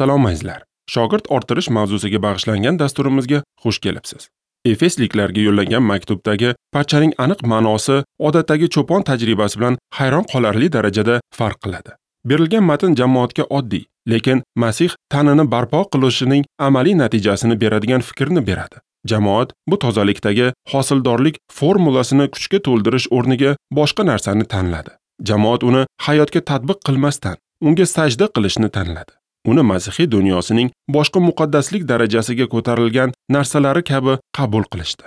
Salom azizlar. Shogird orttirish mavzusiga bag'ishlangan dasturimizga xush kelibsiz. Efesliklarga yo'llangan maktubdagi parchaning aniq ma'nosi odatdagi cho'pon tajribasi bilan hayron qolarli darajada farq qiladi. Berilgan matn jamoatga oddiy, lekin Masih tanini barpo qilishining amaliy natijasini beradigan fikrni beradi. Jamoat bu tozalikdagi hosildorlik formulasini kuchga to'ldirish o'rniga boshqa narsani tanladi. Jamoat uni hayotga tatbiq qilmasdan, unga sajda qilishni tanladi. Uni masihiy dunyosining boshqa muqaddaslik darajasiga ko'tarilgan narsalari kabi qabul qilishdi.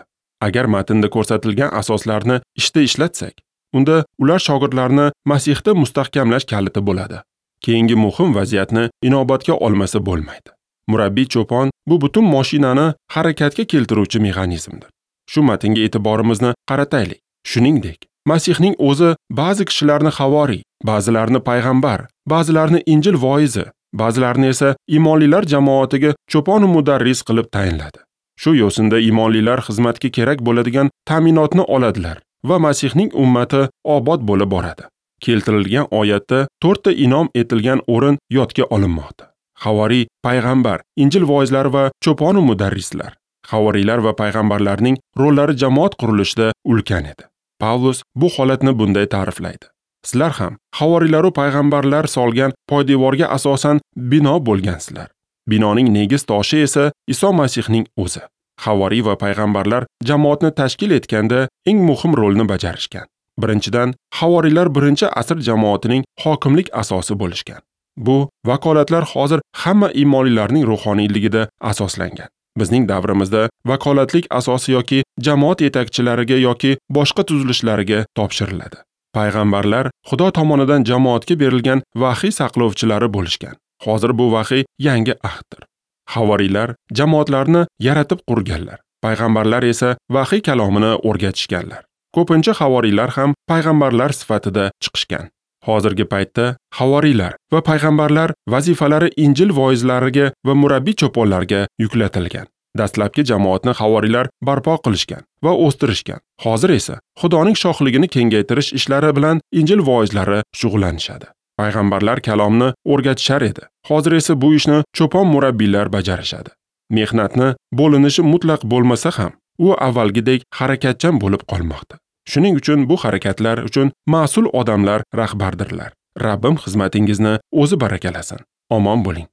Agar matnda ko'rsatilgan asoslarni ishda ishlatsak, unda ular shogirdlarni Masihda mustahkamlash kaliti bo'ladi. Keyingi muhim vaziyatni inobatga olmasa bo'lmaydi. Murabbiy cho'pon bu butun mashinani harakatga keltiruvchi mexanizmdir. Shu matnga e'tiborimizni qarataylik. Shuningdek, Masihning o'zi ba'zi kishilarni havoriy, ba'zilarini payg'ambar, ba'zilarini Injil voizi, ba'zilarini esa imonlilar jamoatiga cho'pon va mudarris qilib tayinladi. Shu yo'sinda imonlilar xizmatga kerak bo'ladigan ta'minotni oladilar va Masihning ummati obod bo'lib boradi. Keltirilgan oyatda 4 ta inom etilgan o'rin yodga olinmoqda. Havoriy, payg'ambar, Injil voizlari va cho'pon va mudarrislar. Havoriylar va payg'ambarlarning rollari jamoat qurilishida ulkan edi. Pavlus bu holatni bunday ta'riflaydi. Sizlar ham havoriylar va payg'ambarlar solgan poydevorga asosan bino bo'lgansizlar. Binoning negiz toshi esa Iso Masihning o'zi. Havoriy va payg'ambarlar jamoatni tashkil etganda eng muhim rolni bajarishgan. Birinchidan, havoriylar birinchi asr jamoatining hokimlik asosi bo'lishgan. Bu vakolatlar hozir hamma iymonlilarning ruhoniyligida asoslangan. Bizning davrimizda vakolatlik asosi yoki jamoat yetakchilariga yoki boshqa tuzilishlariga topshiriladi. Payg'ambarlar Xudo tomonidan jamoatga berilgan vahiy saqlovchilari bo'lishgan. Hozir bu vahiy yangi ahddir. Havoriylar jamoatlarni yaratib qurganlar. Payg'ambarlar esa vahiy kalomini o'rgatishganlar. Ko'pincha havoriylar ham payg'ambarlar sifatida chiqishgan. Hozirgi paytda havoriylar va payg'ambarlar vazifalari Injil voizlariga va murabbiy cho'ponlarga yuklatilgan. Dastlabki jamoatni havoriylar barpo qilishgan va o'stirishgan. Hozir esa Xudoning shohligini kengaytirish ishlari bilan Injil voizlari shug'ullanishadi. Payg'ambarlar kalomni o'rgatishar edi. Hozir esa bu ishni cho'pon murabbiylar bajarishadi. Mehnatni bo'linishi mutlaq bo'lmasa ham, u avvalgidek harakatchan bo'lib qolmoqda. Shuning uchun bu harakatlar uchun mas'ul odamlar rahbardirlar. Rabbim xizmatingizni o'zi barakalasin. Omon bo'ling.